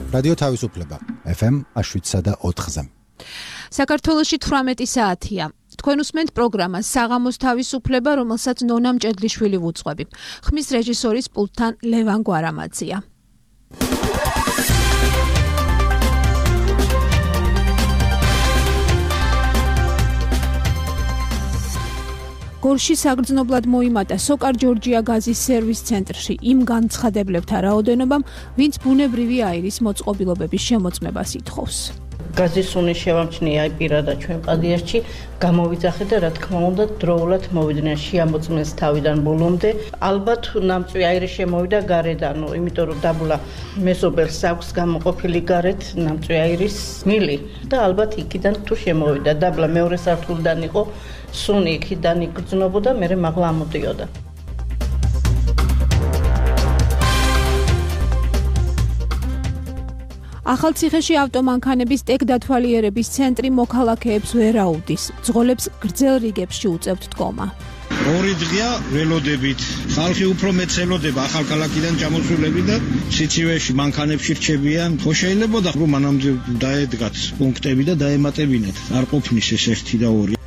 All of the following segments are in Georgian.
რადიო თავისუფლება FM 7.4-ზე. საქართველოში 18 საათია. თქვენ უსმენთ პროგრამას საღამოს თავისუფლება, რომელსაც ნონა მჭედლიშვილი ვუძღვები. ხმის რეჟისორის პულტთან ლევან გვარამაძია. გორში საგრძნობლად მოიმატა სოკარ ჯორჯია გაზის სერვის ცენტრში იმ განცხადებლებთან რაოდენობამ, ვინც ბუნებრივი აირის მოწყობილობების შემოწმებას ითხოვს. გაზის სუნი შევამჩნია პირადად ჩვენ პადიასში, გამოვიძახე და რა თქმა უნდა დროულად მოვიდნენ შეამოწმეს თავიდან ბოლომდე. ალბათ ნამწვი აირი შემოვიდა გარედან, იმიტომ რომ დაბლა მეზობელს აქვს გამოყოფილი გარეთ ნამწვი აირის მილი და ალბათ იქიდან თუ შემოვიდა დაბლა მეორე სართულიდან იყო სუნი იქიდან იგრძნობოდა, მერე მაღლა ამოდიოდა. ახალციხეში ავტომანქანების ტექდათვალიერების ცენტრი მოქალაქეებს ვერ აუდის, ძღოლებს გრძელ რიგებში უწევთ დგომა. ორი დღეა ველოდებით, ხალხი უფრო მეც ელოდება ახალქალაქიდან ჩამოსულები და სიცივეში მანქანებში რჩებიან. ხო შეიძლებოდა რომ მანამდე დაედგათ პუნქტები და დაემატებინათ, არ ყოფნის ეს ერთი და ორი.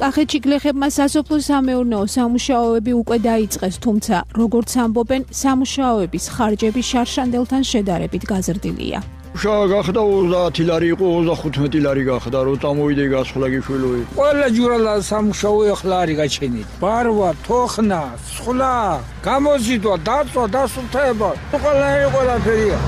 კახეთში გლეხებმა სასოფლო-სამეურნეო სამუშაოები უკვე დაიწყეს, თუმცა, როგორც ამბობენ, სამუშაოების ხარჯები შარშანდელთან შედარებით გაზრდილია. მუშაობა გახდა 30 ლარი იყო, 35 ლარი გახდა, რომ წამოვიდე გასხლა გიშვილი. ყველა ჯურალა სამუშაო ახლა არის გაჩენილი. ბარვა, თოხნა, სხლა, გამოზიდვა, დაწვა, დასუფთავება, ყველაფერია.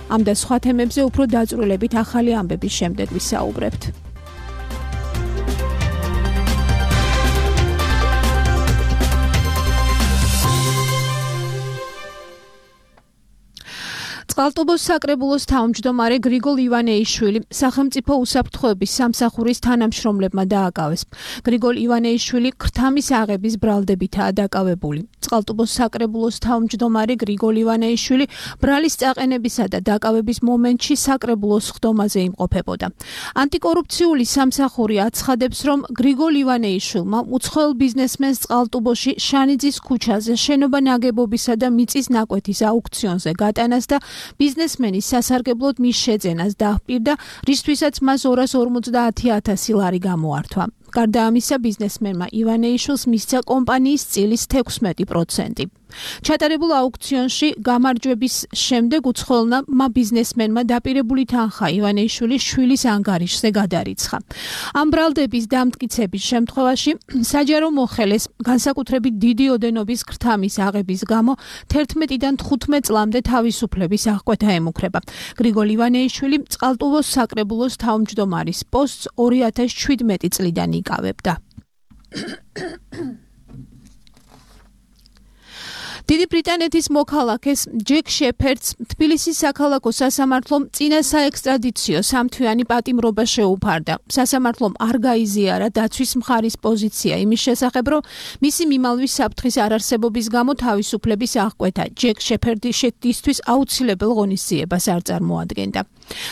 ამ და სხვა თემებზე უფრო დაწვრილებით ახალი ამბების შემდეგ ვისაუბრებთ. წყალტუბოს საკრებულოს თავმჯდომარე გრიგოლ ივანეიშვილი სახელმწიფო უსაფრთხოების სამსახურის თანამშრომლებმა დააკავეს. გრიგოლ ივანეიშვილი ქრთამის აღების ბრალდებითაა დაკავებული. წყალტუბოს საკრებულოს თავმჯდომარე გრიგოლ ივანეიშვილი ბრალის წაყენებისა და დაკავების მომენტში საკრებულოს ხდომაზე იმყოფებოდა. ანტიკორუფციული სამსახური აცხადებს, რომ გრიგოლ ივანეიშვილმა უცხოელ ბიზნესმენს წყალტუბოში შანიძის ქუჩაზე შენობა ნაგებობისა და მიწის ნაკვეთის აუქციონზე გატანას და ბიზნესმენის სასარგებლოდ მის შეძენას დაჰპირდა, რისთვისაც მას 250,000 ლარი გამოართვა. გარდა ამისა, ბიზნესმენმა ივანეიშვილს მისცა კომპანიის წილის 16%. ჩატარებულ აუქციონში გამარჯვების შემდეგ უცხოელმა ბიზნესმენმა დაპირებული თანხა ივანეიშვილის შვილის ანგარიშზე გადარიცხა. ამ ბრალდების დამტკიცების შემთხვევაში საჯარო მოხელეს განსაკუთრებით დიდი ოდენობის ქრთამის აღების გამო 11-დან 15 წლამდე თავისუფლების აღკვეთა ემუქრება. გრიგოლ ივანეიშვილი წყალტუბოს საკრებულოს თავმჯდომარის პოსტს 2017 წლიდან იკავებდა. დიდი ბრიტანეთის მოქალაქეს ჯეკ შეფერდს თბილისის საქალაქო სასამართლომ წინა საექსტრადიციო სამთვიანი პატიმრობა შეუფარდა. სასამართლომ არ გაიზიარა დაცვის მხარის პოზიცია იმის შესახებ, რომ მისი მიმალვის საფრთხის არარსებობის გამო თავისუფლების აღკვეთა ჯეკ შეფერდისთვის აუცილებელ ღონისძიებას არ წარმოადგენდა.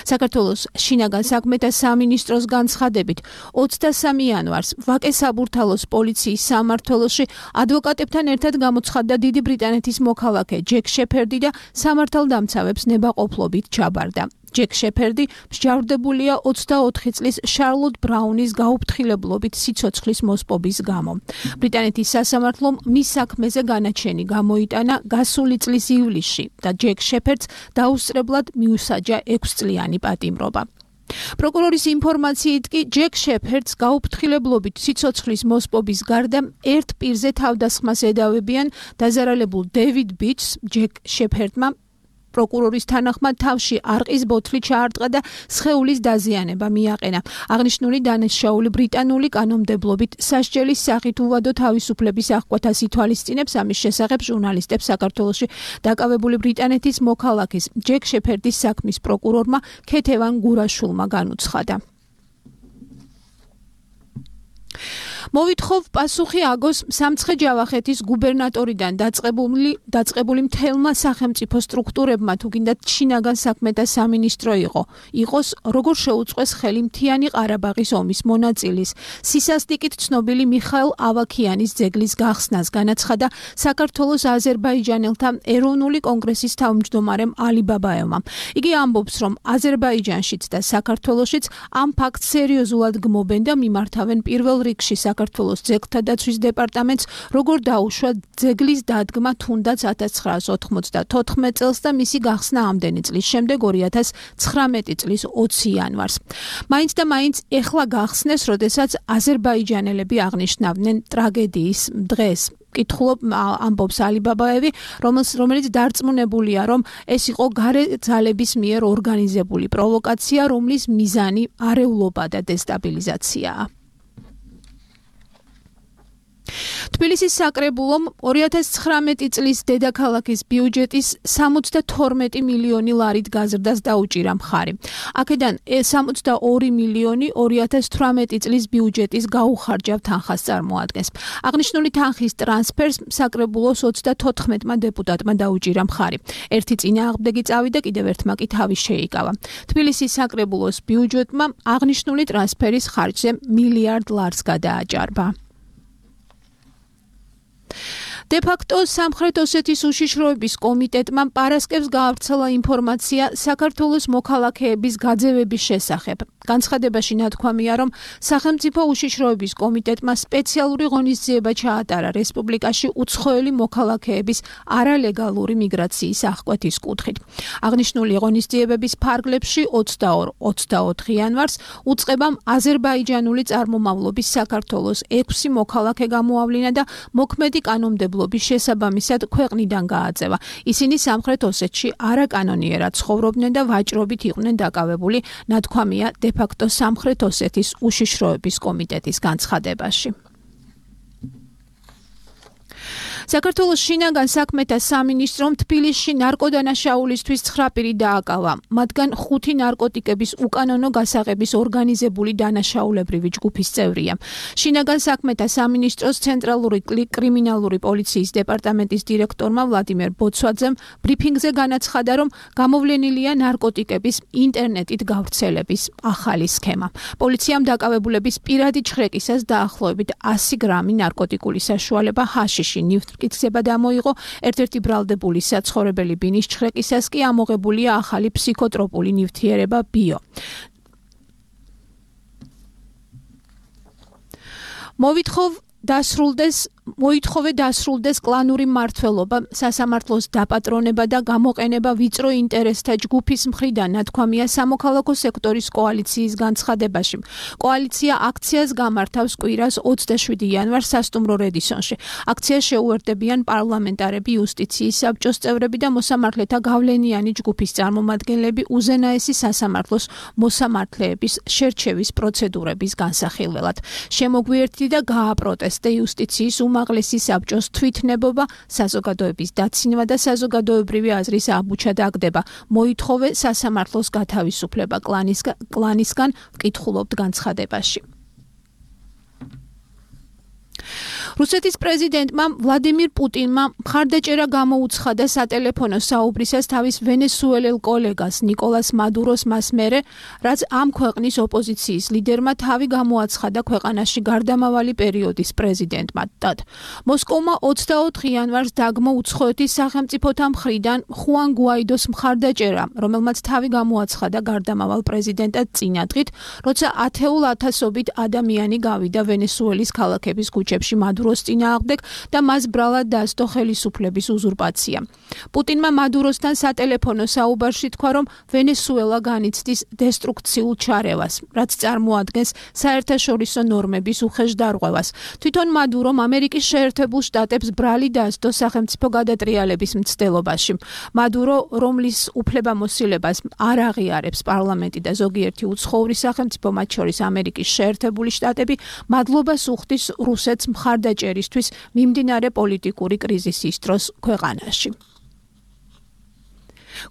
საქართველოს შინაგან საქმეთა სამინისტროს განცხადებით 23 იანვარს ვაკე-საბურთალოს პოლიციის სამმართველოში ადვოკატებთან ერთად გამოცხადდა დიდი ბრიტანეთის მოქალაქე ჯეკ შეფერდი და სამართალდამცავებს ნებაყოფლობით ჩაბარდა. ჯეკ შეფერდი მსჯავრდებულია 24 წლის შარლოტ ბრაუნის გაუფრთხილებლობით სიცოცხლის მოსპობის გამო. ბრიტანეთის სასამართლომ მის საქმეზე განაჩენი გამოიტანა გასული წლის ივლისში და ჯეკ შეფერდს დაუსწრებლად მიუსაჯა 6 წლიანი პატიმრობა. პროკურორის ინფორმაციით კი ჯეკ შეფერდს გაუფრთხილებლობით სიცოცხლის მოსპობის გარდა ერთ პირზე თავდასხმას ედავებიან დაზარალებულ დევიდ ბიჩს. ჯეკ შეფერდმა პროკურორის თანახმად თავში არყის ბოთლი ჩაარტყა და სხეულის დაზიანება მიაყენა. აღნიშნული დანაშაული ბრიტანული კანონმდებლობით სასჯელის სახით უვადო თავისუფლების აღკვეთას ითვალისწინებს. ამის შესახებ ჟურნალისტებს საქართველოში დაკავებული ბრიტანეთის მოქალაქის ჯეკ შეფერდის საქმის პროკურორმა ქეთევან გურაშულმა განუცხადა. მოვითხოვ პასუხი აგოს სამცხე-ჯავახეთის გუბერნატორიდან დაწყებული მთელმა სახელმწიფო სტრუქტურებმა თუ გინდათ შინაგან საქმეთა სამინისტრო იყოს როგორ შეუწყვეს ხელი მთიანი ყარაბაღის ომის მონაწილის სისასტიკით ცნობილი მიხაილ ავაქიანის ძეგლის გახსნას განაცხადა საქართველოს აზერბაიჯანელთა ეროვნული კონგრესის თავმჯდომარემ ალი ბაბაევმა. იგი ამბობს, რომ აზერბაიჯანშიც და საქართველოშიც ამ ფაქტს სერიოზულად გმობენ და მიმართავენ პირველ რიგში საქართველოს ძეგლთა დაცვის დეპარტამენტს, როგორ დაუშვა ძეგლის დადგმა თუნდაც 1994 წელს და მისი გახსნა ამდენი წლის შემდეგ 2019 წლის 20 იანვარს. მაინც და მაინც ეხლა გახსნეს, როდესაც აზერბაიჯანელები აღნიშნავდნენ ტრაგედიის დღეს. კითხულობ ამბობს ალი ბაბაევი, რომელიც დარწმუნებულია, რომ ეს იყო გარე ძალების მიერ ორგანიზებული პროვოკაცია, რომლის მიზანი არეულობა და დესტაბილიზაციაა. თბილისის საკრებულომ 2019 წლის დედაქალაქის ბიუჯეტის 72 მილიონი ლარით გაზრდას დაუჭირა მხარი. აქედან 62 მილიონი 2018 წლის ბიუჯეტის გაუხარჯავ თანხას წარმოადგენს. აღნიშნული თანხის ტრანსფერს საკრებულოს 34-მა დეპუტატმა დაუჭირა მხარი. ერთი წინააღმდეგი წავიდა, კიდევ ერთმა კი თავი შეიკავა. თბილისის საკრებულოს ბიუჯეტმა აღნიშნული ტრანსფერის ხარჯზე $1 მილიარდ გადააჭარბა. დე-ფაქტო სამხრეთ ოსეთის უშიშროების კომიტეტმა პარასკევს გაავრცელა ინფორმაცია საქართველოს მოქალაქეების გაძევების შესახებ. განცხადებაში ნათქვამია, რომ სახელმწიფო უშიშროების კომიტეტმა სპეციალური ღონისძიება ჩაატარა რესპუბლიკაში უცხოელი მოქალაქეების არალეგალური მიგრაციის აღკვეთის კუთხით. აღნიშნული ღონისძიებების ფარგლებში 22-24 იანვარს უწყებამ აზერბაიჯანული წარმომავლობის საქართველოს 6 მოქალაქე გამოავლინა და მოქმედი კანონმდებლობის შესაბამისად ქვეყნიდან გააწევა. ისინი სამხრეთ ოსეთში არაკანონიერად ცხოვრობდნენ და ვაჭრობით იყვნენ დაკავებული, ნათქვამია დე-ფაქტო სამხრეთ ოსეთის უშიშროების კომიტეტის განცხადებაში. საქართველოს შინაგან საქმეთა სამინისტრომ თბილისში ნარკოდანაშაულისთვის 9 პირი დააკავა. მათგან 5 ნარკოტიკების უკანონო გასაღების ორგანიზებული დანაშაულებრივი ჯგუფის წევრია. შინაგან საქმეთა სამინისტროს ცენტრალური კრიმინალური პოლიციის დეპარტამენტის დირექტორმა ვლადიმერ ბოცვაძემ ბრიფინგზე განაცხადა, რომ გამოვლენილია ნარკოტიკების ინტერნეტით გავრცელების ახალი სქემა. პოლიციამ დაკავებულების პირადი ჩხრეკისას დაახლოებით 100 გრამი ნარკოტიკული საშუალება ჰაშიში მტკიცება დამოიღო. ერთ-ერთი ბრალდებული საცხოვრებელი ბინის ჩხრეკისას კი ამოღებულია ახალი ფსიქოტროპული ნივთიერება ბიო. მოითხოვე დასრულდეს კლანური მმართველობა, სასამართლოს დაპატრონება და გამოყენება ვიწრო ინტერესთა ჯგუფის მხრიდან, ნათქვამია სამოქალაქო სექტორის კოალიციის განცხადებაში. კოალიცია აქციას გამართავს კვირას 27 იანვარს სასტუმრო რედისონში. აქციას შეუერთდებიან პარლამენტარები, იუსტიციის საბჭოს წევრები და მოსამართლეთა გავლენიანი ჯგუფის წარმომადგენლები უზენაესი სასამართლოს მოსამართლეების შერჩევის პროცედურების განსახილველად. შემოგვიერთდი და გააპროტესტე იუსტიციის უმაღლესი საბჭოს თვითნებობა, საზოგადოების დაცინვა და საზოგადოებრივი აზრის აბუჩა დაგდება. მოითხოვე სასამართლოს გათავისუფლება კლანისგან, ვკითხულობთ განცხადებაში. რუსეთის პრეზიდენტმა ვლადიმირ პუტინმა მხარდაჭერა გამოუცხადა სატელეფონო საუბრისას თავის ვენესუელელ კოლეგას ნიკოლას მადუროს მას მერე, რაც ამ ქვეყნის ოპოზიციის ლიდერმა თავი გამოაცხადა ქვეყანაში გარდამავალი პერიოდის პრეზიდენტმა. მოსკოვმა 24 იანვარს დაგმო უცხოეთის სახელმწიფოთა მხრიდან ხუან გუაიდოს მხარდაჭერა, რომელმაც თავი გამოაცხადა გარდამავალ პრეზიდენტად წინადღით, როცა ათეულ ათასობით ადამიანი გავიდა ვენესუელის ქალაქების ქუჩებში მადუროს წინააღმდეგ და მას ბრალად დასდო ხელისუფლების უზურპაცია. პუტინმა მადუროსთან სატელეფონო საუბარში თქვა, რომ ვენესუელა განიცდის დესტრუქციულ ჩარევას, რაც წარმოადგენს საერთაშორისო ნორმების უხეშ დარღვევას. თვითონ მადურომ ამერიკის შეერთებულ შტატებს ბრალი დასდო სახელმწიფო გადატრიალების მცდელობაში. მადურო, რომლის უფლებამოსილებას არ აღიარებს პარლამენტი და ზოგიერთი უცხოური სახელმწიფო, მათ შორის ამერიკის შეერთებული შტატები, მადლობას უხდის რუსეთს მხარდაჭერისთვის მიმდინარე პოლიტიკური კრიზისის დროს ქვეყანაში.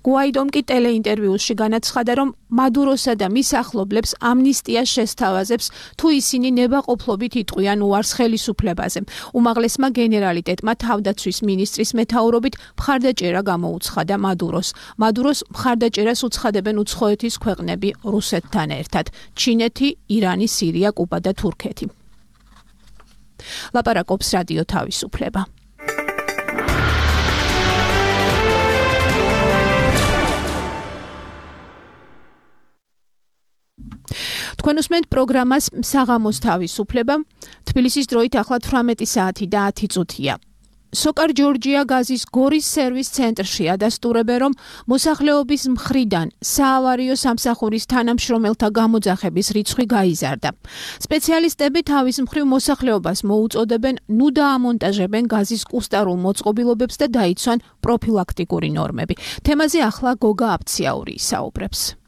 გუაიდომ კი ტელეინტერვიუში განაცხადა, რომ მადუროსა და მის ახლობლებს ამნისტია შესთავაზებს, თუ ისინი ნებაყოფლობით იტყვიან უარს ხელისუფლებაზე. უმაღლესმა გენერალიტეტმა თავდაცვის მინისტრის მეთაურობით მხარდაჭერა გამოუცხადა მადუროს. მადუროს მხარდაჭერას უცხადებენ უცხოეთის ქვეყნები რუსეთთან ერთად: ჩინეთი, ირანი, სირია, კუბა და თურქეთი. ლაპარაკობს რადიო თავისუფლება. თქვენ უსმენთ პროგრამას საღამოს თავისუფლება. თბილისის დროით ახლა 18 საათი და 10 წუთია. სოკარ ჯორჯია გაზის გორის სერვის ცენტრში ადასტურებენ, რომ მოსახლეობის მხრიდან საავარიო სამსახურის თანამშრომელთა გამოძახების რიცხვი გაიზარდა. სპეციალისტები თავის მხრივ მოსახლეობას მოუწოდებენ ნუ დაამონტაჟებენ გაზის კუსტარულ მოწყობილობებს და დაიცვან პროფილაქტიკური ნორმები. თემაზე ახლა გოგა აფციაური ისაუბრებს.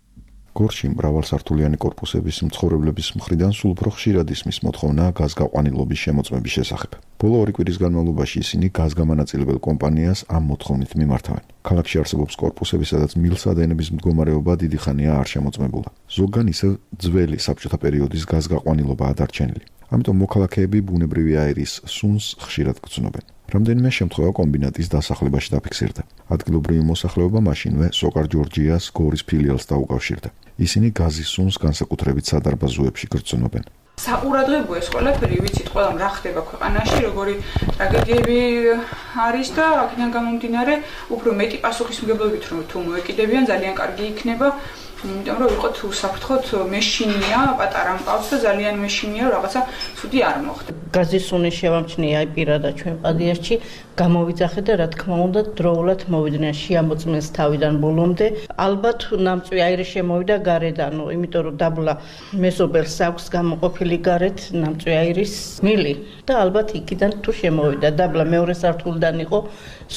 გორში მრავალსართულიანი კორპუსების მცხოვრებლების მხრიდან სულ უფრო ხშირად ისმის მოთხოვნა გაზგაყვანილობის შემოწმების შესახებ. ბოლო 2 კვირის განმავლობაში ისინი გაზგამანაწილებელ კომპანიას ამ მოთხოვნით მიმართავენ. ქალაქში არსებობს კორპუსები, სადაც მილსადენების მდგომარეობა დიდი ხანია არ შემოწმებულა. ზოგან ისევ ძველი საბჭოთა პერიოდის გაზგაყვანილობაა დარჩენილი. ამიტომ მოქალაქეები ბუნებრივი აირის სუნს ხშირად გრძნობენ. რამდენიმე შემთხვევა კომბინატის დასახლებაში დაფიქსირდა. ადგილობრივი მოსახლეობა მაშინვე სოკარ ჯორჯიას გორის ფილიალს დაუკავშირდა. ისინი გაზის სუნს განსაკუთრებით სადარბაზოებში გრძნობენ. საყურადღებო ეს ყველაფერი ვიცით ყველამ რა ხდება ქვეყანაში, როგორი ტრაგედიები არის და აქედან გამომდინარე უფრო მეტი პასუხისმგებლობით რომ თუ მოეკიდებიან ძალიან კარგი იქნება. იმიტომ რომ ვიყოთ უსაფრთხოდ მეშინია, პატარა მყავს და ძალიან მეშინია რაღაცა ცუდი არ მოხდა. გაზის სუნის შევამჩნია აი პირადად ჩვენ პადიასში, გამოვიძახეთ და რა თქმა უნდა დროულად მოვიდნენ შეამოწმეს თავიდან ბოლომდე. ალბათ ნამწვი აირი შემოვიდა გარედან, იმიტომ რომ დაბლა მეზობელს აქვს გამოყოფილი გარეთ ნამწვი აირის მილი და ალბათ იქიდან თუ შემოვიდა დაბლა მეორე სართულიდან იყო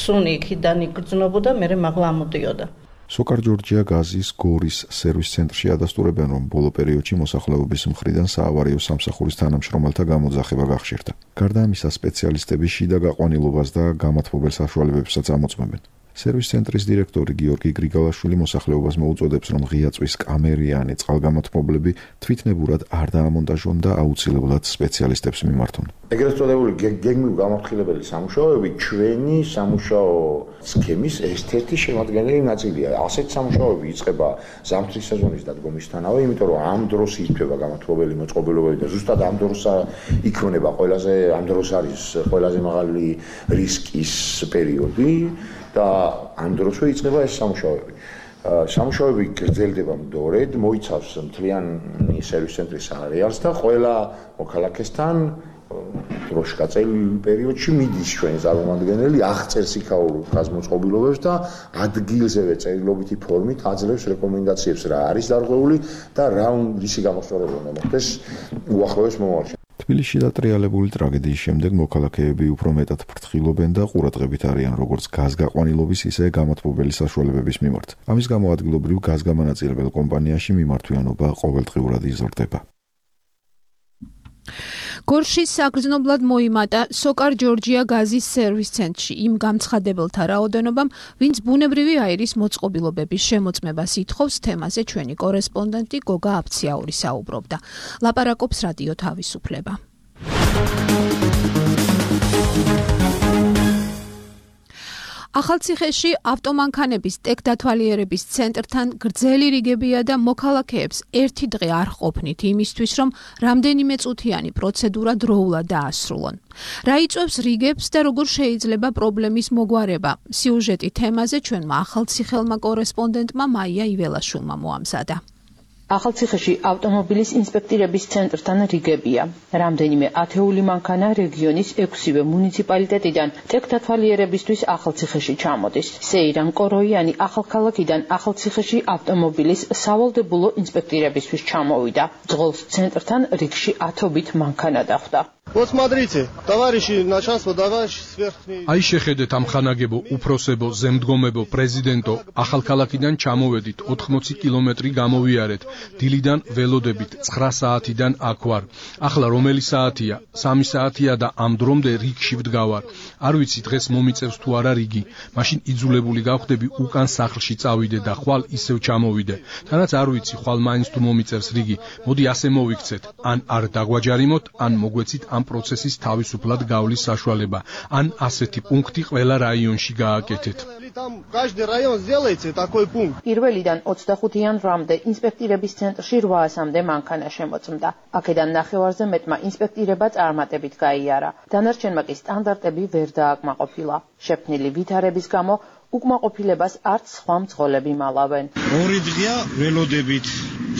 სუნი იქიდან იგრძნობოდა, მერე მაღლა ამოდიოდა. სოკარ ჯორჯია გაზის გორის სერვის ცენტრში ადასტურებენ, რომ ბოლო პერიოდში მოსახლეობის მხრიდან საავარიო სამსახურის თანამშრომელთა გამოძახება გახშირდა. გარდა ამისა, სპეციალისტები შიდა გაყვანილობას და გამათბობელ საშუალებებსაც ამოწმებენ. სერვის ცენტრის დირექტორი გიორგი გრიგალაშვილი მოსახლეობას მოუწოდებს, რომ ღია წვის კამერიანი წყალგამათბობლები თვითნებურად არ დაამონტაჟონ და აუცილებლად სპეციალისტებს მიმართონ. ეგრეთ წოდებული გეგმიურ გამორხილებელი სამუშაოები ჩვენი სამუშაო სქემის ერთ-ერთი შემადგენელი ნაწილია. ასეთ სამუშაოები იწყება ზამთრის სეზონის დადგომისთანავე, იმიტომ რომ ამ დროს იწვება გამათბობელი მოწყობილობები და ზუსტად ამ დროს იქმნება ამ დროს არის ყველაზე მაღალი რისკის პერიოდი. და ამ დროშო იწყება ეს სამუშაოები. სამუშაოები გრძელდება მდორედ, მოიცავს მთლიანი სერვის ცენტრის არეალს და ყველა მოქალაქესთან დროშკაწელ პერიოდში მიდის ჩვენი წარმომადგენელი, აღწერს იქაურ გაზმოწყობილობებს და ადგილზევე წერილობითი ფორმით აძლევს რეკომენდაციებს რა არის დარღვეული და რა რისი გამოსწორება უნდა მოხდეს უახლოეს მომავალში. თბილისში დატრიალებული ტრაგედიის შემდეგ მოქალაქეები უფრო მეტად ფრთხილობენ და ყურადღებით არიან როგორც გაზგაყვანილობის, ისე გამათბობელი საშუალებების მიმართ. ამის გამო ადგილობრივ გაზგამანაწილებელ კომპანიაში მიმართვიანობა ყოველდღიურად იზრდება. გორში საგრძნობლად მოიმატა სოკარ ჯორჯია გაზის სერვის ცენტრში იმ გამცხადებელთა რაოდენობამ, ვინც ბუნებრივი აირის მოწყობილობების შემოწმებას ითხოვს. თემაზე ჩვენი კორესპონდენტი გოგა აფციაური საუბრობდა. ლაპარაკობს რადიო თავისუფლება. ახალციხეში ავტომანქანების ტექდათვალიერების ცენტრთან გრძელი რიგებია და მოქალაქეებს ერთი დღე არ ყოფნით იმისთვის, რომ რამდენიმე წუთიანი პროცედურა დროულად დაასრულონ. რა იწვევს რიგებს და როგორ შეიძლება პრობლემის მოგვარება? სიუჟეტი თემაზე ჩვენმა ახალციხელმა კორესპონდენტმა მაია იველაშვილმა მოამზადა. ახალციხეში ავტომობილის ინსპექტირების ცენტრთან რიგებია. რამდენიმე ათეული მანქანა რეგიონის 6-ვე მუნიციპალიტეტიდან ტექდათვალიერებისთვის ახალციხეში ჩამოდის. სეირან კოროიანი ახალქალაქიდან ახალციხეში ავტომობილის სავალდებულო ინსპექტირებისთვის ჩამოვიდა. ძღოლს ცენტრთან რიგში 10-ობით მანქანა დახვდა. Вот смотрите, товарищи начальство, товарищи сверхние. Აი შეხედეთ ამ ხანაგებო, უფროსებო, ზემდგომებო, პრეზიდენტო, ახალქალაქიდან ჩამოვედით, 80 კილომეტრი გამოვიარეთ, დილიდან ველოდებით, 9 საათიდან აქ ვარ. ახლა რომელი საათია? 3 საათია და ამ დრომდე რიგში ვდგავარ. არ ვიცი დღეს მომიწევს თუ არა რიგი. მაშინ იძულებული გავხდები უკან სახლში წავიდე და ხვალ ისევ ჩამოვიდე. თანაც არ ვიცი ხვალ მაინც თუ მომიწევს რიგი. მოდი ასე მოვიქცეთ, ან არ დაგვაჯარიმოთ, ან მოგვეცით ამ პროცესის თავისუფლად გავლის საშუალება. ან ასეთი პუნქტი ყველა რაიონში გააკეთეთ. Там каждый район сделайте такой пункт. პირველიდან 25 იანვრამდე ინსპექტირების ცენტრში 800-მდე მანქანა შემოწმდა. აქედან ნახევარზე მეტმა ინსპექტირება წარმატებით გაიარა. დანარჩენმა კი სტანდარტები ვერ დააკმაყოფილა. შექმნილი ვითარების გამო უკმაყოფილებას არც სხვა მძღოლები მალავენ. ორი დღეა ველოდებით.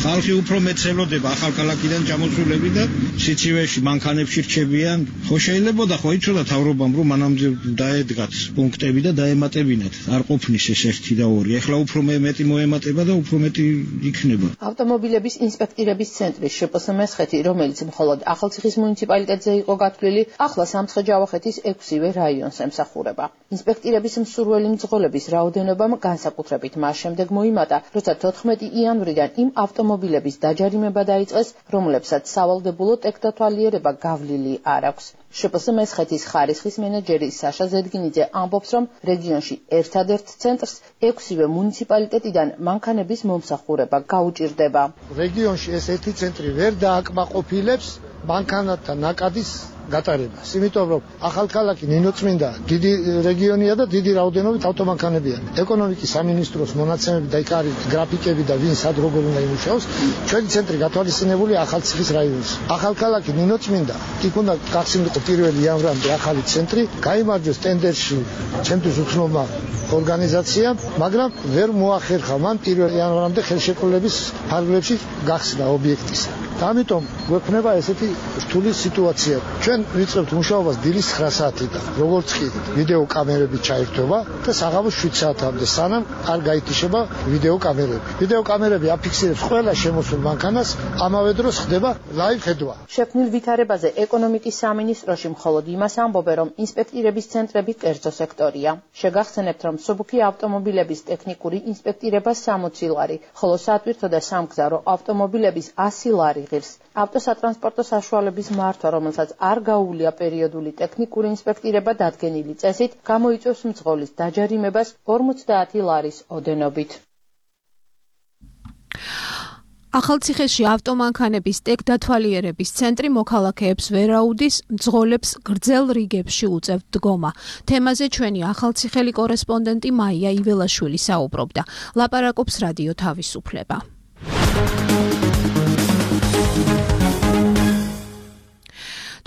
ხალხი უფრო მეტ ელოდება ახალქალაქიდან ჩამოსულები და სიცივეში მანქანებში რჩებიან. ხო შეიძლება და ხო იცოდა თავრობამ რომ მანამდე დაედგათ პუნქტები და დაემატებინათ. არ ყოფნის ეს ერთი და ორი. ეხლა უფრო მეტი მოემატება და უფრო მეტი იქნება. ავტომობილების ინსპექტირების ცენტრის შპს მესხეთი, რომელიც მხოლოდ ახალციხის მუნიციპალიტეტზე იყო გათვლილი, ახლა სამცხე-ჯავახეთის 6-ვე რაიონს ემსახურება. ინსპექტირების მსურველი მძღოლების რაოდენობამ განსაკუთრებით მას შემდეგ მოიმატა, როცა 14 იანვრიდან იმ ავტომობილების დაჯარიმება დაიწყეს, რომლებსაც სავალდებულო ტექდათვალიერება გავლილი არ აქვს. შპს მესხეთის ხარისხის მენეჯერი საშა ზედგინიძე ამბობს, რომ რეგიონში ერთადერთ ცენტრს 6-ვე მუნიციპალიტეტიდან მანქანების მომსახურება გაუჭირდება. რეგიონში ეს ერთი ცენტრი ვერ დააკმაყოფილებს მანქანათა ნაკადის გატარებას. იმიტომ რომ ახალქალაქი ნინოწმინდა დიდი რეგიონია და დიდი რაოდენობით ავტომანქანებია. ეკონომიკის სამინისტროს მონაცემები და იქ არის გრაფიკები და ვინ სად როგორ უნდა იმუშაოს. ჩვენი ცენტრი გათვალისწინებული ახალციხის რაიონში. ახალქალაქი ნინოწმინდა იქ უნდა გახსნილიყო 1 იანვრამდე ახალი ცენტრი, გაიმარჯვეს ტენდერში ჩემთვის უცნობმა ორგანიზაციამ, მაგრამ ვერ მოახერხა მან 1 იანვრამდე ხელშეკრულების ფარგლებში გახსნა ობიექტის. ამიტომ გვექნება ესეთი რთული სიტუაცია. ჩვენ ვიწყებთ მუშაობას დილის 9 საათიდან, როგორც კი ვიდეო კამერები ჩაირთვება და საღამოს 7 საათამდე, სანამ არ გაითიშება ვიდეო კამერები. ვიდეო კამერები აფიქსირებს ყველა შემოსულ მანქანას, ამავე დროს ხდება ლაივ ხედვა. შექმნილ ვითარებაზე ეკონომიკის სამინისტროში მხოლოდ იმას ამბობენ, რომ ინსპექტირების ცენტრები კერძო სექტორია. შეგახსენებთ, რომ მსუბუქი ავტომობილების ტექნიკური ინსპექტირება 60 ლარი, ხოლო სატვირთო და სამგზავრო ავტომობილების 100 ლარი ღირს. ავტოსატრანსპორტო საშუალების მართვა, რომელსაც არ გაუვლია პერიოდული ტექნიკური ინსპექტირება დადგენილი წესით, გამოიწვევს მძღოლის დაჯარიმებას 50 ლარის ოდენობით. ახალციხეში ავტომანქანების ტექდათვალიერების ცენტრი მოქალაქეებს ვერაუდის, მძღოლებს გრძელ რიგებში უწევთ დგომა. თემაზე ჩვენი ახალციხელი კორესპონდენტი მაია იველაშვილი საუბრობდა. ლაპარაკობს რადიო თავისუფლება.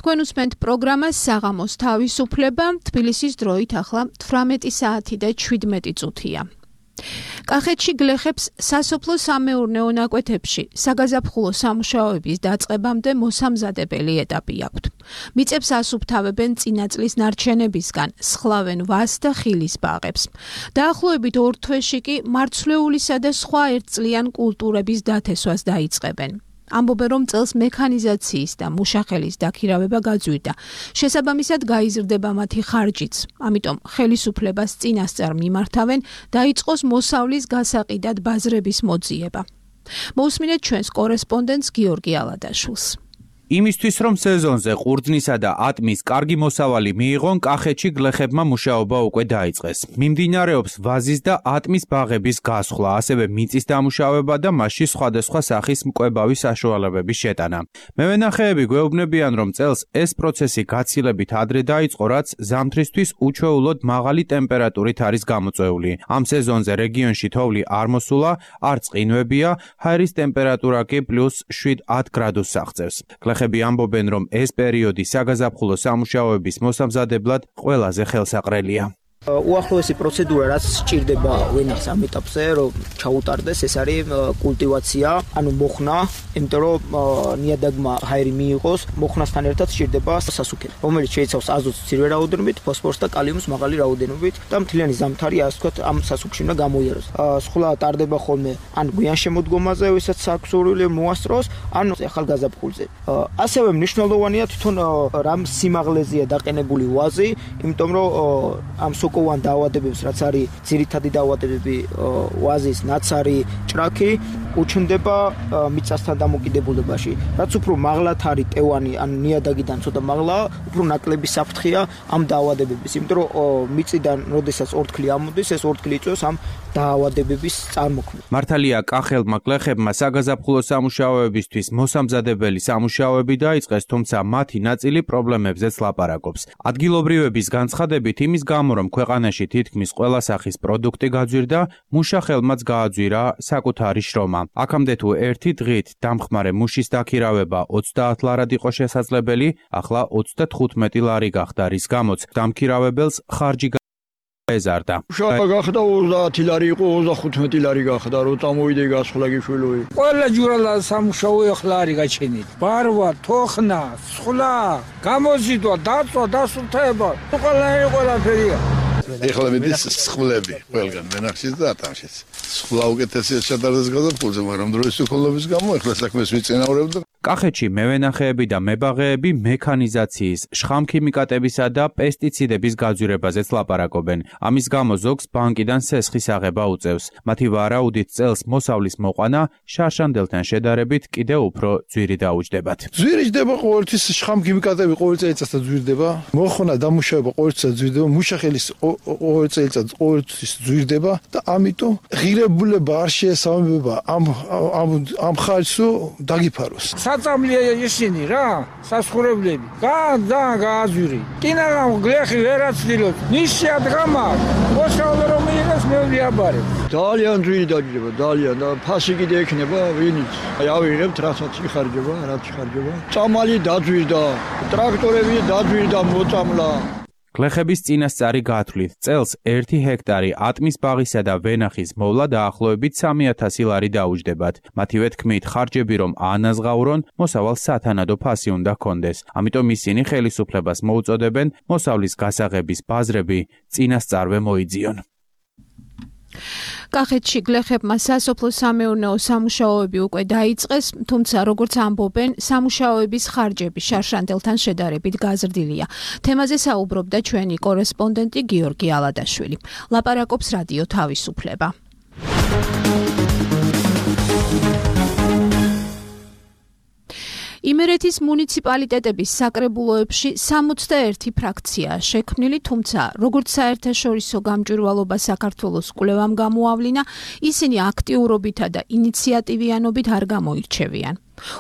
თქვენ უსმენთ პროგრამას საღამოს თავისუფლება, თბილისის დროით ახლა 18 საათი და 17 წუთია. კახეთში გლეხებს სასოფლო სამეურნეო ნაკვეთებში საგაზაფხულო სამუშაოების დაწყებამდე მოსამზადებელი ეტაპი აქვთ. მიწებს ასუფთავებენ წინა წლის ნარჩენებისგან, სხლავენ ვას და ხილის ბაღებს. დაახლოებით 2 თვეში კი მარცვლეულისა და სხვა ერთწლიან კულტურების დათესვას დაიწყებენ. ამბობენ, რომ წელს მექანიზაციის და მუშახელის დაქირავება გაძვირდა. შესაბამისად გაიზრდება მათი ხარჯიც. ამიტომ ხელისუფლებას წინასწარ მიმართავენ დაიწყოს მოსავლის გასაყიდად ბაზრების მოძიება. მოусმინეთ ჩვენს კორესპონდენტს გიორგი ალადაშვილს. იმისთვის რომ სეზონზე ყურძნისა და ატმის კარგი მოსავალი მიიღონ, კახეთში გლეხებმა მუშაობა უკვე დაიწყეს. მიმდინარეობს ვაზის და ატმის ბაღების გასხლა, ასევე მიწის დამუშავება და მასში სხვადასხვა სახის მკვებავი საშუალებების შეტანა. მევენახეები გვეუბნებიან, რომ წელს ეს პროცესი გაცილებით ადრე დაიწყო, რაც ზამთრისთვის უჩვეულოდ მაღალი ტემპერატურით არის გამოწვეული. ამ სეზონზე რეგიონში თოვლი არ მოსულა, არ წყინვებია, ჰაერის ტემპერატურა კი +7-10 გრადუსს აღწევს. გლეხები ამბობენ, რომ ეს პერიოდი საგაზაფხულო სამუშაოების მოსამზადებლად ყველაზე ხელსაყრელია. უახლოესი პროცედურა რაც სჭირდება ვენახს ამ ეტაპზე რომ ჩაუტარდეს ეს არის კულტივაცია, ანუ მოხნა, იმიტომ რომ ნიადაგმა ჰაერი მიიღოს, მოხნასთან ერთად სჭირდება სასუქე, რომელიც შეიცავს აზოტს მცირე რაოდენობით, ფოსფორს და კალიუმს მაღალი რაოდენობით და მთლიანი ზამთარი ასე ვთქვათ ამ სასუქში უნდა გამოიაროს. სხულა ტარდება ხოლმე ან გვიან შემოდგომაზე, ვისაც აქვს სურვილი მოასწროს, ან ახალგაზაფხულზე. ასევე მნიშვნელოვანია თვითონ რამ სიმაღლეზეა დაყენებული ვაზი, იმიტომ რომ ამ სოკოვან დაავადებებს, რაც არის ძირითადი დაავადებები ვაზის, ნაცარი, ჭრაქი, უჩნდება მიწასთან დამოკიდებულებაში. რაც უფრო მაღლად არის ტევანი ან ნიადაგიდან ცოტა მაღლა, უფრო ნაკლები საფრთხეა ამ დაავადებების, იმიტომ რომ მიწიდან, როდესაც ორთქლი ამოდის, ეს ორთქლი იწვევს ამ დაავადებების წარმოქმნას. მართალია კახელმა გლეხებმა საგაზაფხულო სამუშაოებისთვის მოსამზადებელი სამუშაოები დაიწყეს, თუმცა მათი ნაწილი პრობლემებზეც ლაპარაკობს. ადგილობრივების განცხადებით იმის გამო, რომ ქვეყანაში თითქმის ყველა სახის პროდუქტი გაძვირდა, მუშახელმაც გააძვირა საკუთარი შრომა. აქამდე თუ ერთი დღით დამხმარე მუშის დაქირავება 30 ლარად იყო შესაძლებელი, ახლა 35 ლარი გახდა, რის გამოც დამქირავებელს ხარჯი ეზარდა. შოა გახდა 30 ლარი იყო 35 ლარი გახდა, რომ წამოვიდე გასხლა გიშვილოი. ყველა ჯურალა სამუშაო ახლა არის გაჩენილი. ბარვა, თოხნა, სხლა, გამოზიდვა, დაწვა, დასუფთავება, ყველაფერია. ეხლა მიდის სხლები ყველგან ვენახშიც და ატანშიც. სხლა უკეთესია შედარდეს გაზაფხულზე, მაგრამ დროის უქონლობის გამო ეხლა საქმეს ვიწინაურებ და კახეთში მევენახეები და მებაღეები მექანიზაციის, შხამქიმიკატებისა და პესტიციდების გაძვირებაზეც ლაპარაკობენ. ამის გამო ზოგს ბანკიდან სესხის აღება უწევს. მათი ვარაუდით წელს მოსავლის მოყვანა შარშანდელთან შედარებით კიდევ უფრო ძვირი დაუჯდებათ. ძვირი ჯდება ყოველთვის შხამქიმიკატები ყოველ წელიწადს ძვირდება. მოხონა დამუშავება ყოველ წელს ძვირდება, მუშახელის ყოველ წელიწადს ყოველთვის ძვირდება და ამიტომ ღირებულება არ შეესაბამება ამ ხალხს დაგიფაროს. საწამლია ისინი რა, სასხურებლები. ძალიან გააძვირი. კინაღამ გლეხი ვერაცდილოთ. ნიშია დღამა, მოსავლე რომ მიიღეს მეულიაბარე. ძალიან ძვირი დაჯდება, ძალიან და ფასი კიდე ექნება ვინიც. აი ავიღებთ რასაც იხარჯება, რაც იხარჯება. წამალი დაძვირდა, ტრაქტორები დაძვირდა, მოწამლა. გლეხების წინასწარი გათვლით წელს 1 ჰექტარი ატმის ბაღისა და ვენახის მოვლა დაახლოებით 3000 ლარი დაუჯდებათ. მათივე თქმით, ხარჯები რომ აანაზღაურონ, მოსავალს სათანადო ფასი უნდა ჰქონდეს. ამიტომ ისინი ხელისუფლებას მოუწოდებენ მოსავლის გასაღების ბაზრები წინასწარვე მოიძიონ. კახეთში გლეხებმა სასოფლო-სამეურნეო სამუშაოები უკვე დაიწყეს, თუმცა როგორც ამბობენ, სამუშაოების ხარჯები შარშანდელთან შედარებით გაზრდილია. თემაზე საუბრობდა ჩვენი კორესპონდენტი გიორგი ალადაშვილი. ლაპარაკობს რადიო თავისუფლება. იმერეთის მუნიციპალიტეტების საკრებულოებში 61 ფრაქციაა შექმნილი, თუმცა როგორც საერთაშორისო გამჭვირვალობა საქართველოს კვლევამ გამოავლინა, ისინი აქტიურობითა და ინიციატივიანობით არ გამოირჩევიან.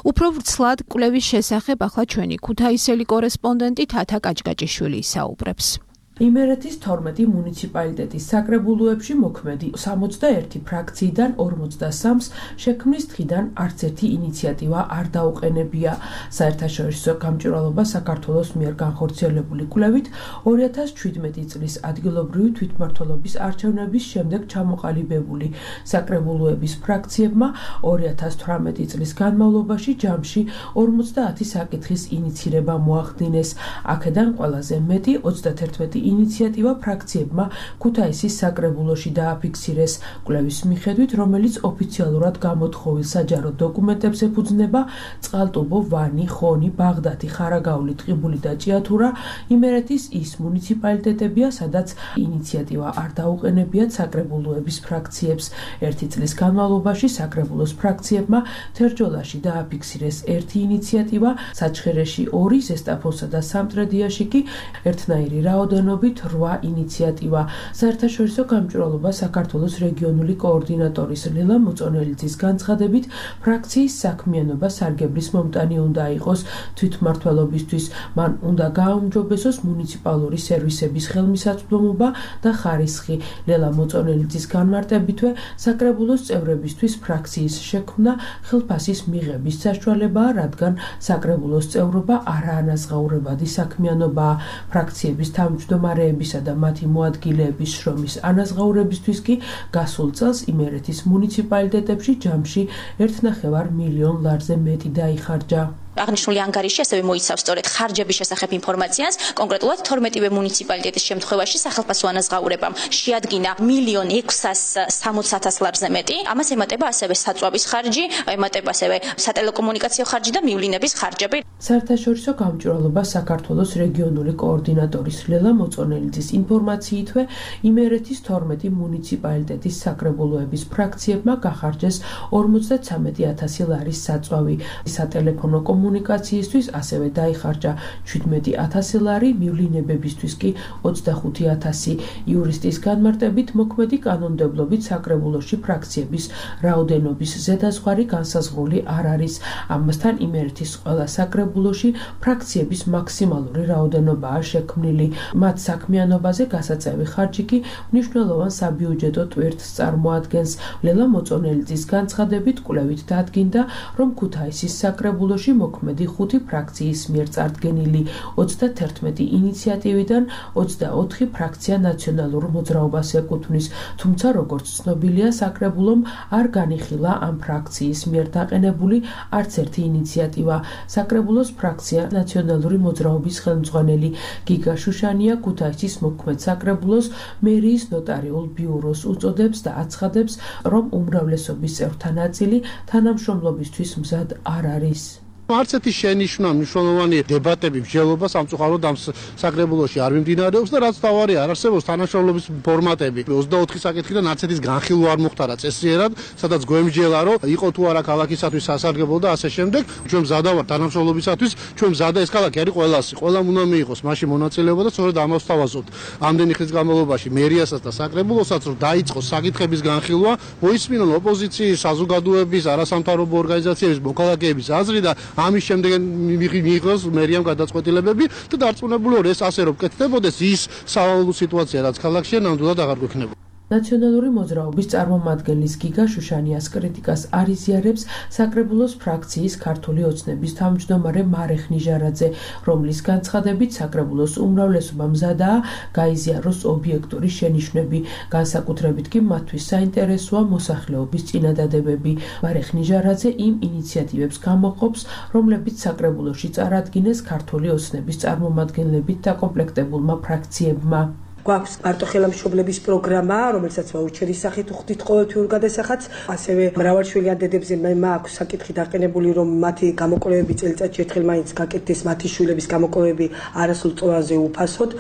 უფრო ვრცლად კვლევის შესახებ ახლა ჩვენი ქუთაისელი კორესპონდენტი თათა კაჭკაჭიშვილი ისაუბრებს. იმერეთის 12 მუნიციპალიტეტის საკრებულოებში მოქმედი 61 ფრაქციიდან 43-ს შექმნის დღიდან არც ერთი ინიციატივა არ დაუყენებია. საერთაშორისო გამჭვირვალობა საქართველოს მიერ განხორციელებული კვლევით 2017 წლის ადგილობრივი თვითმმართველობის არჩევნების შემდეგ ჩამოყალიბებული საკრებულოების ფრაქციებმა 2018 წლის განმავლობაში ჯამში 50 საკითხის ინიცირება მოახდინეს. აქედან ყველაზე მეტი 31 ინიციატივა ფრაქციებმა ქუთაისის საკრებულოში დააფიქსირეს. კვლევის მიხედვით, რომელიც ოფიციალურად გამოთხოვილ საჯარო დოკუმენტებს ეფუძნება, წყალტუბო, ვანი, ხონი, ბაღდათი, ხარაგაული, ტყიბული და ჭიათურა იმერეთის ის მუნიციპალიტეტებია, სადაც ინიციატივა არ დაუყენებიათ საკრებულოების ფრაქციებს. ერთი წლის განმავლობაში საკრებულოს ფრაქციებმა თერჯოლაში დააფიქსირეს 1 ინიციატივა, საჩხერეში 2, ზესტაფონსა და სამტრედიაში კი ერთნაირი რაოდენობით 8 ინიციატივა. საერთაშორისო გამჭვირვალობა საქართველოს რეგიონული კოორდინატორის ლელა მოწონელიძის განცხადებით, ფრაქციის საქმიანობა სარგებლის მომტანი უნდა იყოს თვითმმართველობისთვის. მან უნდა გააუმჯობესოს მუნიციპალური სერვისების ხელმისაწვდომობა და ხარისხი. ლელა მოწონელიძის განმარტებითვე, საკრებულოს წევრებისთვის ფრაქციის შექმნა ხელფასის მიღების საშუალებაა, რადგან საკრებულოს წევრობა არაანაზღაურებადი საქმიანობაა. ფრაქციების თავმჯდომარე მდგომარეებისა და მათი მოადგილეების შრომის ანაზღაურებისთვის კი გასულ წელს იმერეთის მუნიციპალიტეტებში ჯამში 1.5 მილიონ ლარზე მეტი დაიხარჯა. აღნიშნული ანგარიში ასევე მოიცავს სწორედ ხარჯების შესახებ ინფორმაციას, კონკრეტულად 12-ვე მუნიციპალიტეტის შემთხვევაში სახელმწიფო ანაზღაურებამ შეადგინა 1.660.000 ლარზე მეტი. ამას ემატება ასევე საწვავის ხარჯი, ემატება ასევე სატელეკომუნიკაციო ხარჯი და მივლინების ხარჯები. საერთაშორისო გამჭვირვალობა საქართველოს რეგიონული კოორდინატორის ლელა მოწონელიძის ინფორმაციითვე იმერეთის 12 მუნიციპალიტეტის საკრებულოების ფრაქციებმა გახარჯეს 53.000 ლარის საწვავი. სატელეფონო კომუნიკაციისთვის ასევე დაიხარჯა 17.000 ლარი, მივლინებებისთვის კი 25.000. იურისტის განმარტებით მოქმედი კანონმდებლობით საკრებულოში ფრაქციების რაოდენობის ზედაზღვარი განსაზღვრული არ არის. ამასთან იმერეთის ყველა საკრებულოში ფრაქციების მაქსიმალური რაოდენობაა შექმნილი. მათ საქმიანობაზე გასაწევი ხარჯი კი მნიშვნელოვან საბიუჯეტო ტვირთს წარმოადგენს. ლელა მოწონელიძის განცხადებით კვლევით დადგინდა, რომ ქუთაისის საკრებულოში მოქმედი 5 ფრაქციის მიერ წარდგენილი 31 ინიციატივიდან 24 ფრაქცია ნაციონალურ მოძრაობას ეკუთვნის, თუმცა როგორც ცნობილია, საკრებულომ არ განიხილა ამ ფრაქციის მიერ დაყენებული არც ერთი ინიციატივა. საკრებულოს ფრაქცია ნაციონალური მოძრაობის ხელმძღვანელი გიგა შუშანია ქუთაისის მოქმედ საკრებულოს მერიის ნოტარიულ ბიუროს უწოდებს და აცხადებს, რომ უმრავლესობის წევრთა ნაწილი თანამშრომლობისთვის მზად არ არის. არც ერთი შენიშვნა მნიშვნელოვანი დებატები მსჯელობა სამწუხაროდ ამ საკრებულოში არ მიმდინარეობს და რაც თავარია არ არსებობს თანამშრომლობის ფორმატები. 24 საკითხიდან არც ერთის განხილვა არ მოხდარა წესიერად, სადაც გვემსჯელა რომ იყო თუ არა ქალაქისათვის სასარგებლო და ასე შემდეგ. ჩვენ მზადა ვართ თანამშრომლობისათვის, ჩვენ მზადა ეს ქალაქი არის ყველასი. ყველამ უნდა მიიღოს მაშინ მონაწილეობა და სწორედ ამას ვთავაზობთ. ამდენი ხნის განმავლობაში მერიასაც და საკრებულოსაც რომ დაიწყოს საკითხების განხილვა, მოისმინონ ოპოზიციის, საზოგადოების, არასამთავრობო ორგანიზაციების, მოქალაქეების აზრი და ამის შემდეგ მიიღოს მერიამ გადაწყვეტილებები და დარწმუნებული ვარ ეს ასე რომ კეთდებოდეს ის სავალალო სიტუაცია რაც ქალაქშია ნამდვილად აღარ გვექნება. ნაციონალური მოძრაობის წარმომადგენლის გიგა შუშანიას კრიტიკას არ იზიარებს საკრებულოს ფრაქციის ქართული ოცნების თავმჯდომარე მარეხ ნიჟარაძე, რომლის განცხადებით საკრებულოს უმრავლესობა მზადაა გაიზიაროს ობიექტური შენიშვნები, განსაკუთრებით კი მათთვის საინტერესოა მოსახლეობის წინადადებები. მარეხ ნიჟარაძე იმ ინიციატივებს გამოყოფს, რომლებიც საკრებულოში წარადგინეს ქართული ოცნების წარმომადგენლებით დაკომპლექტებულმა ფრაქციებმა. გვაქვს მარტოხელამშობლების პროგრამა, რომელსაც ვაუჩერის სახით ვხდით ყოველთვიურ გადასახადს. ასევე მრავალშვილიან დედებზე მაქვს საკითხი დაყენებული, რომ მათი გამოკვლევები წელიწადში ერთხელ მაინც გაკეთდეს მათი შვილების გამოკვლევები არასრულწლოვანზე უფასოდ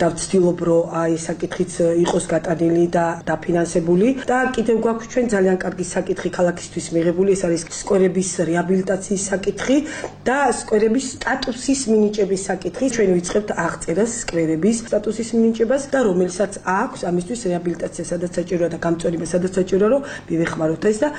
და ვცდილობ, რომ აი საკითხიც იყოს გატანილი და დაფინანსებული. და კიდევ გვაქვს ჩვენ ძალიან კარგი საკითხი ქალაქისთვის მიღებული, ეს არის სკვერების რეაბილიტაციის საკითხი და სკვერების სტატუსის მინიჭების საკითხი. ჩვენ ვიწყებთ აღწერას სკვერების სტატუსის მინიჭებას და რომელსაც აქვს ამისთვის რეაბილიტაცია სადაც საჭიროა და გამწვანება სადაც საჭიროა რომ მივეხმაროთ ეს და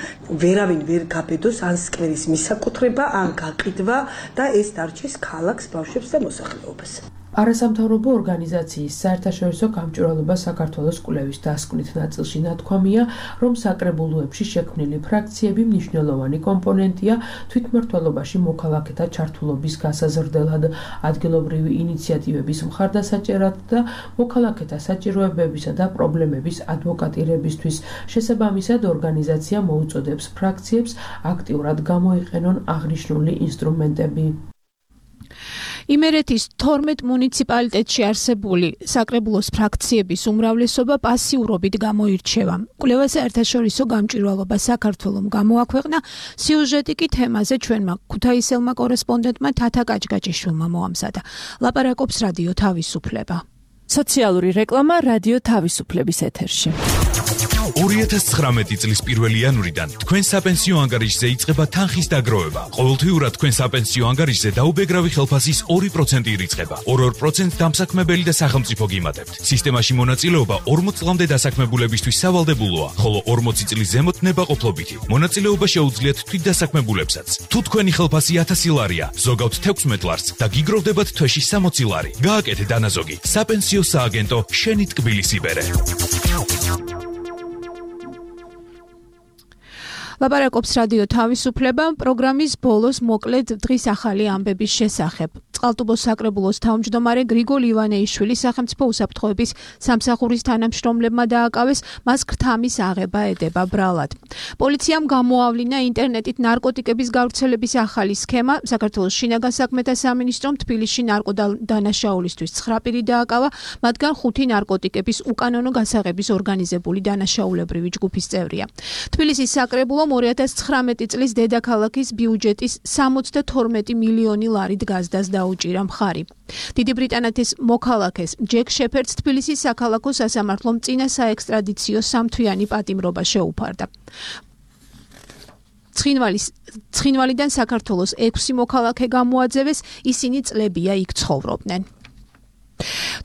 ვერავინ ვერ გაბედოს ან სკვერის მისაკუთრება ან გაყიდვა და ეს დარჩეს ქალაქს, ბავშვებს და მოსახლეობას. არასამთავრობო ორგანიზაციის საერთაშორისო გამჭვირვალობა საქართველოს კვლევის დასკვნით ნაწილში ნათქვამია, რომ საკრებულოებში შექმნილი ფრაქციები მნიშვნელოვანი კომპონენტია თვითმმართველობაში მოქალაქეთა ჩართულობის გასაზრდელად, ადგილობრივი ინიციატივების მხარდასაჭერად და მოქალაქეთა საჭიროებებისა და პრობლემების ადვოკატირებისთვის. შესაბამისად, ორგანიზაცია მოუწოდებს ფრაქციებს აქტიურად გამოიყენონ აღნიშნული ინსტრუმენტები. იმერეთის 12 მუნიციპალიტეტში არსებული საკრებულოს ფრაქციების უმრავლესობა პასიურობით გამოირჩევა. კვლევა საერთაშორისო გამჭვირვალობა საქართველომ გამოაქვეყნა, სიუჟეტი კი თემაზე ჩვენმა ქუთაისელმა კორესპონდენტმა თათა კაჭკაჭიშვილმა მოამზადა. ლაპარაკობს რადიო თავისუფლება. სოციალური რეკლამა რადიო თავისუფლების ეთერში. 2019 წლის 1 იანვრიდან თქვენ საპენსიო ანგარიშზე იწყება თანხის დაგროვება. ყოველთვიურად თქვენ საპენსიო ანგარიშზე დაუბეგრავი ხელფასის 2% ირიცხება. 2% დამსაქმებელი და სახელმწიფო გიმატებთ. სისტემაში მონაწილეობა 40 წლამდე დასაქმებულებისთვის სავალდებულოა, ხოლო 40 წლის ზემოთ ნებაყოფლობითი. მონაწილეობა შეუძლიათ თვითდასაქმებულებსაც. თუ თქვენი ხელფასი 1000 ლარია, ზოგავთ 16 ლარს და გიგროვდებათ თვეში 60 ლარი. გააკეთე დანაზოგი. საპენსიო სააგენტო შენი ტკბილის იბერე. ლაპარაკობს რადიო თავისუფლება პროგრამის ბოლოს მოკლედ დღის ახალი ამბების შესახებ. წყალტუბოს საკრებულოს თავმჯდომარე გრიგოლ ივანეიშვილის სახელმწიფო უსაფრთხოების სამსახურის თანამშრომლებმა დააკავეს, მას ქრთამის აღება ედება ბრალად. პოლიციამ გამოავლინა ინტერნეტით ნარკოტიკების გავრცელების ახალი სქემა. საქართველოს შინაგან საქმეთა სამინისტრომ თბილისში ნარკოდანაშაულისთვის 9 პირი დააკავა, მათგან 5 ნარკოტიკების უკანონო გასაღების ორგანიზებული დანაშაულებრივი ჯგუფის წევრია. თბილისის საკრებულომ 2019 წლის დედაქალაქის ბიუჯეტის 72 მილიონი ლარით გაზდას დაუჭირა მხარი. დიდი ბრიტანეთის მოქალაქეს ჯეკ შეფერდს თბილისის საქალაქო სასამართლომ წინა საექსტრადიციო სამთვიანი პატიმრობა შეუფარდა. ცხინვალიდან საქართველოს 6 მოქალაქე გამოაძევეს, ისინი წლებია იქ ცხოვრობდნენ.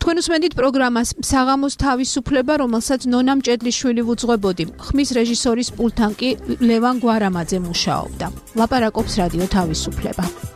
თქვენ უსმენთ პროგრამას საღამოს თავისუფლება, რომელსაც ნონა მჭედლიშვილი ვუძღვებოდი. ხმის რეჟისორის პულტთან კი ლევან გვარამაძე მუშაობდა. ლაპარაკობს რადიო თავისუფლება.